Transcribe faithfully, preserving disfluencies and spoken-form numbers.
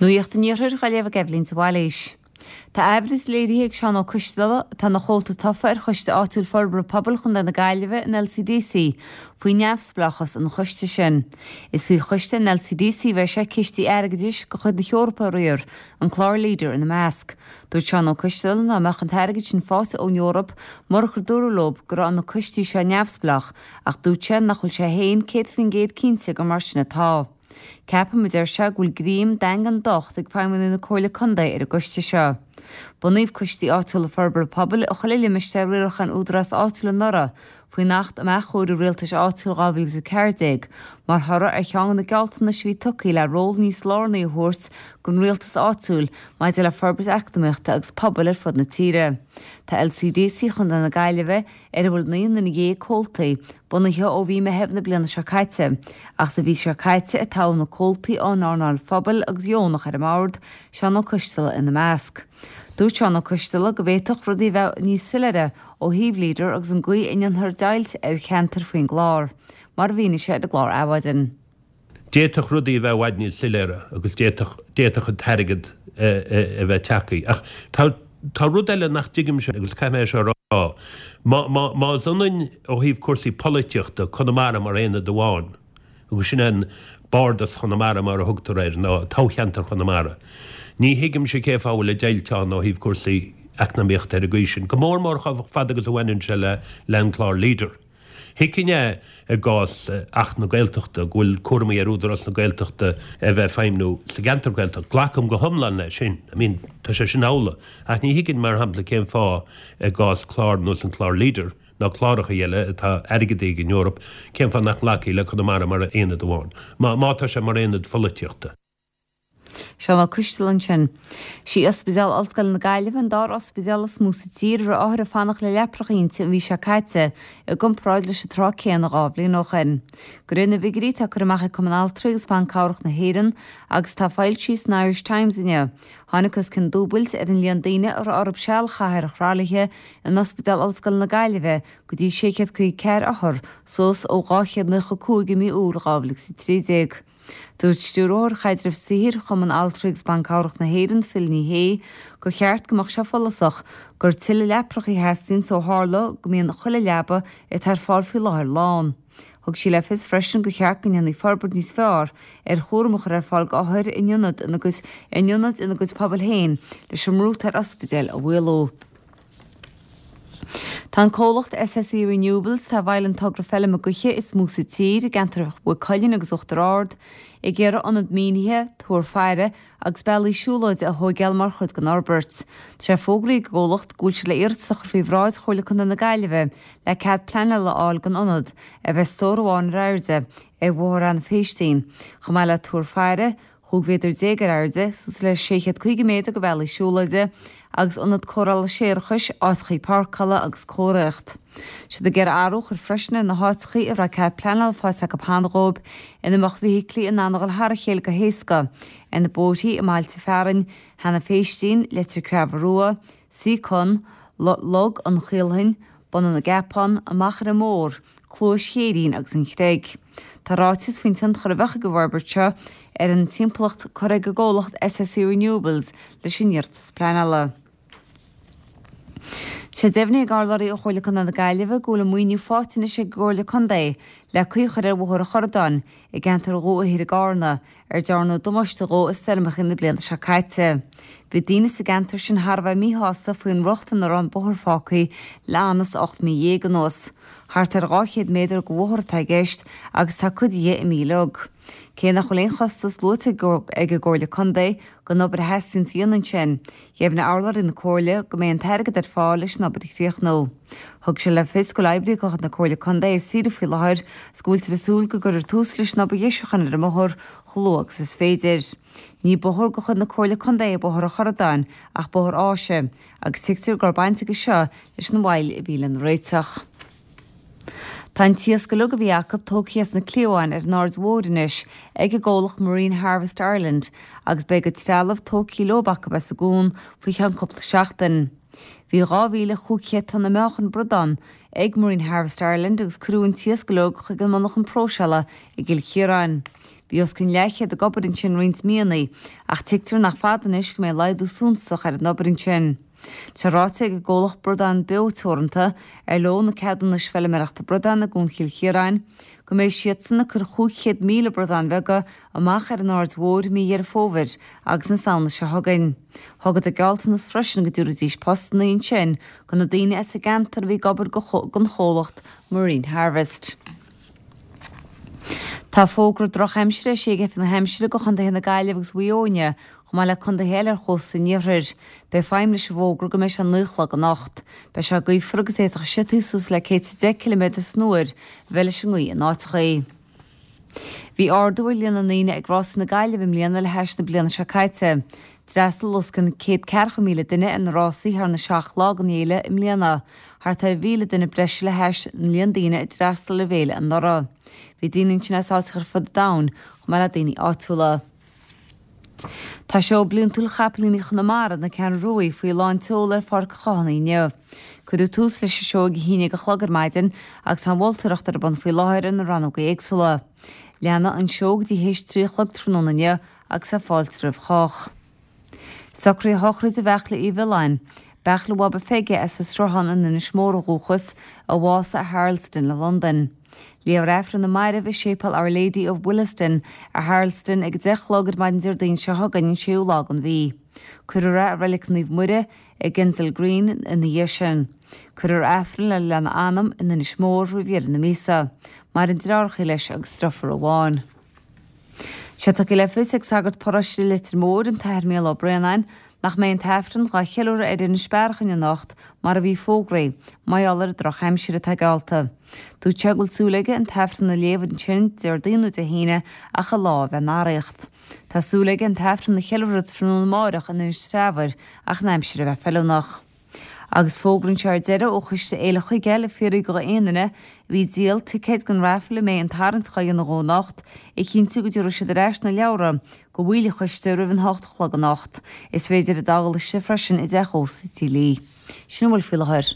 Nuacht an Iarthair á léamh ag Eibhlín de Bhailís. Tá aimhreas léirithe ag Seán Ó Coisteala atá ina chomhalta tofa ar Choiste Áitiúil Forbartha Pobail Chontae na Gaillimhe an LCDC faoi neamhspleáchas an choiste sin. Is faoi choiste an LCDC bheidh sé cistí airgeadais de chuid na hEorpa a riar, an clár Leader ina measc. Dúirt Seán Ó Coisteala nach mbeadh an t-airgead sin faighte ón Eoraip murach gur dúradh leo go raibh na coistí seo neamhspleách, ach dúirt sé nach bhfuil sé féin céad faoin gcéad cinnte gur mar sin atá. Ceapaim a deir sé go bhfuil greim daingean docht ag feidhmeannaigh na Comhairle Contae ar an gcoiste seo. Bunaíodh coistí áitiúla forbartha pobail i chuile limistéar riaracháin údarás áitiúil anuraidh faoin Acht um Athchóiriú Rialtais Áitiúil dhá mhíle is a ceathair déag, mar thoradh ar cheann de na gealltanais a bhí tugtha le ról níos lárnaí a thabhairt don rialtas áitiúil maidir le forbairt eacnamaíochta agus pobail ar fud na tíre. Tá LCDC Chontae na Gaillimhe, ar a bhfuil naoi nduine dhéag comhaltaí, bunaithe ó mhí Meitheamh na bliana seo caite, ach sa mhí seo caite a toghadh na comhaltaí ón earnáil phobail agus dheonach ar an mbord, Seán Ó Coisteala ina measc. Dúirt Seán Ó Coisteala go bhféadfadh rudaí a bheith níos soiléire ó thaobh Leader agus an gcaoi a ndéanfar deighilt ar cheantair faoin gclár, mar a mhínigh sé ar an gclár Adhmhaidin. D'fhéadfadh rudaí a bheith i bhfad níos soiléire agus d'fhéadfadh d'fhéadfadh an t-airgead a bheith tagtha. Ach tá tá rud eile nach dtuigimse agus caithfidh mé é seo a rá. Má má más ionann ó thaobh cúrsaí polaitíochta Conamara mar aonad amháin, agus sin an Bardas Chonamara mar a thugtar air, nó toghcheantar Chonamara, ní thuigimse cén fáth a bhfuil an deighilt ann ó thaobh cúrsaí eacnamaíochta ar an gcaoi sin, go mór mór chomh fada agus a bhaineann sé le le an clár Leader. Thuigfinn é i gcás Acht na Gaeltachta, go bhfuil cúramaí ar Údarás na Gaeltachta a bheith ag feidhmniú sa gceantar Gaeltachta. Glacaim go hiomlán leis sin. I mean, tá sé sin amhlaidh. Ach ní thuigfinn, mar shampla, cén fáth i gcás clár ar nós an clár Leader, nó cláracha eile atá airgeadaithe ag an Eoraip, cén fáth nach nglacfaí le Conamara mar aonad amháin, má má tá sé mar aonad pholaitíochta. Seán Ó Coisteala ansin. Sí Ospidéal Ollscoile na Gaillimhe an dara ospidéal is mó sa tír a raibh othair ag fanacht le leapacha inti an mhí seo caite i gcomparáid leis an tráth céanna dhá bhliain ó shin. De réir na bhfigiúirí atá curtha amach ag Cumann Altraí agus Ban Cabhrach na hÉireann agus atá foilsithe san Irish Times inniu, tháinig os cionn dúbailt ar an líon daoine a raibh orthu seal a chaitheamh ar thralaithe in Ospidéal Ollscoile na Gaillimhe go dtí sé chéad caoga ceathair othar, suas ó dhá chéad nócha cúig i mí Iúil dhá mhíle agus a trí déag. Dúirt Stiúrthóir Chaidreamh Saothair Chumann Altraí agus Ban Cabhrach na hÉireann, Phil Ní Sheaghdha, gur cheart go mbeadh sé follasach gur tuilleadh leapacha a theastaíonn ó tharla go mbíonn chuile leaba atá ar fáil faoi láthair lán. Thug sí le fios freisin gur cheart go ndéanfaí forbairt níos fearr ar chúram a chur ar fáil d'othair in ionad ina gcuid in ionaid ina gcuid pobail féin leis an mbrú atá ar ospidéil a mhaolú. Tá an comhlacht SSE Renewables, atá i bhfeighil an togra feilme gaoithe is mó sa tír i gceantar Mhaigh Cuilinn agus Uachtar Ard, ag iarraidh ionad mínithe, túr faire agus bealaí siúlóide a thóigeáil mar chuid den fhorbairt. Tá sé fógraithe ag an gcomhlacht go bhfuil siad le iarratas a chur faoi bhráid Chomhairle Contae na Gaillimhe le cead pleanála a fháil don ionad, a bheidh stór amháin ar airde ar Bhóthar Eanach Phéistín, chomh maith le túr faire, chúig mhéadar déag ar airde, suas le sé chéad caoga méadar de bhealaí siúlóide, agus ionad cóireála séarachais, áiteachaí páirceála agus comharthaíocht. Tá siad ag iarraidh athrú a chur freisin ar na háiteachaí a raibh cead pleanála faighte acu cheana dhóibh ina mbeadh feithiclí in ann a dhul thar a chéile go héasca ar na bóithrí i mbailte fearainn Eanach Phéistín, Leitir Creamha Rua, Seacon, Log an Chaolthain, Bun na gCeapán, an Machaire Mór, Cluais Chéirín agus an Chreig. Tá ráiteas faoin tionchar a bheadh ag an bhforbairt seo ar an timpeallacht curtha ag an gcomhlacht SSE Renewables leis an iarratas pleanála. Tá sé deimhnithe ag urlabhraí ó Chomhairle Contae na Gaillimhe go bhfuil an maoiniú faighte anois ag an gComhairle Contae le caoi a chur ar Bhóthar an Chorradáin i gceantar Dhumha Thoir i gCarna, ar dearnadh damáiste dhó i stoirmeacha na bliana seo caite. Bhí daoine sa gceantar sin thar a bheith míshásta faoin riocht ina raibh an bóthar fágtha le anas ocht mí dhéag anuas. Thart ar dhá chéad méadar de bhóthar atá i gceist agus tá cuid dhe imithe uilig. Cé nach bhfuil aon chostas luaite ag an gComhairle Contae don obair a theastaíonn a dhéanamh ansin, dheimhnigh urlabhraí na Comhairle go mbeidh an t-airgead ar fáil leis an obair a chríochnú. Thug sé le fios go bhfuil oibrithe de chuid na Comhairle Contae ar saoire faoi láthair agus go bhfuiltear ag súil go gcuirfear tús leis an obair dheisiúcháin ar an mbóthar chomh luath agus is féidir. Ní bóthar de chuid na Comhairle Contae é Bóthar an Chorradáin ach bóthar áise agus tuigtear go raibh baint aige seo leis an mhoill a bhí lena réiteach. Tá an t-iasc uilig a bhí acu tógtha as na cliabháin ar an Aird Mhóir anois ag an gcomhlacht Marine Harvest Ireland agus beidh a gcuid trealamh tógtha leo acu as an gcuan faoi cheann cúpla seachtain. Bhí dhá mhíle chúig chéad tonna meáchan bradán ag Marine Harvest Ireland agus cuireadh an t-iasc uilig chuig an monarchan próiseála i gCill Chiaráin. Bhí os cionn leathchéad ag obair ansin roinnt míonna, ach tuigtear nach fada anois go mbeidh laghdú suntasach ar an obair ansin. Tá ráite ag an gcomhlacht Bradán Beo Teoranta, ar leo na ceadúnais feilméarachta bradán i gCuan Chill Chiaráin, go mbeidh siadsan ag cur chúig chéad míle bradán bheaga amach ar an Aird Mhóir i mí Dheireadh Fómhair agus na Samhna seo chugainn. Thugadar gealltanas freisin go dtabharfaidís postanna ansin do na daoine as an gceantar a bhí ag obair don chomhlacht Marine Harvest. Tá fógra drochaimsire eisithe ag Oifig na hAimsire do chontaetha na Gaillimhe agus Mhaigh Eo inniu, chomh maith le contaetha eile ar chósta an iarthair. Beidh feidhm leis an bhfógra go mbeidh sé naoi a chlog anocht. Beidh sé gaofar agus d'fhéadfadh siotaí suas le céad is a deich ciliméadar san uair a bheith leis an ngaoth in áiteachaí. Bhí ardú ar líon na ndaoine ag Rásaí na Gaillimhe i mbliana le hais na bliana seo caite. D'fhreastail os cionn céad ceathracha míle duine ar na rásaí thar na seacht lá den fhéile i mbliana, thart ar mhíle duine breise le hais an líon daoine a d'fhreastail ar an bhféile anuraidh. Bhí daoine ansin as áiteacha ar fud an domhain, chomh maith le daoine áitiúla. Tá seó bliantúil chapaillíní Chonamara, na Ceathrún Ruaidh, faoi lán tseoil ar Pháirc an Chathánaigh inniu. Cuireadh tús leis an seó ag a haon déag a chlog ar maidin agus tá an mholtóireacht ar bun faoi láthair ar na rannógaí éagsúla. Leanfaidh an seó go dtí théis trí a chlog tráthnóna inniu agus tá fáilte roimh chách. Socruithe shochraide Bheachla Uí Mhiolláin, Beachla Bhaba Pheige as an Sruthán in Inis Mór ó dhúchas, a bhásaigh i Harlesden i Londain. Léifear Aifreann na Mairbh i Séipéal Our Lady of Willesden i Harlesden ag a deich a chlog ar maidin Déardaoin seo chugainn an séú lá den mhí. Cuirfear é i Reilig Naomh Muire i Kensal Green ina dhiaidh sin. Cuirfear Aifreann lena anam in Inis Mór roimh dheireadh na míosa. Maireann deartháireacha leis agus deirfiúr amháin. Tá sé tugtha le fios ag sagart paróiste Leitir Móir, an tAthair Mícheál Ó Braonáin, nach mbeidh an tAifreann dhá cheiliúradh ar Inis Bearachain anocht mar a bhí fógraithe, mar gheall ar an drochaimsir atá geallta. Dúirt sé go bhfuil súil aige an tAifreann a léamh ansin Déardaoin nó Dé hAoine ach an lá a bheith in araíocht. Tá súil aige an tAifreann a cheiliúradh tráthnóna amárach in Inis Treabhair ach an aimsir a bheith feiliúnach. Agus fógra anseo ar deireadh ó Choiste Fhéile Chuigéil ag fiafraí de aon duine a bhí ag díol ticéid don raifil a mbeidh an tarraingt dhá dhéanamh dhó anocht, a chinntiú go dtabharfaidh siad ar ais na leabhra go bhaill an choiste roimh an hocht a chlog anocht. Is féidir iad a fháil istigh freisin i dteach ósta Tí Lee. Sin a bhfuil faoi láthair.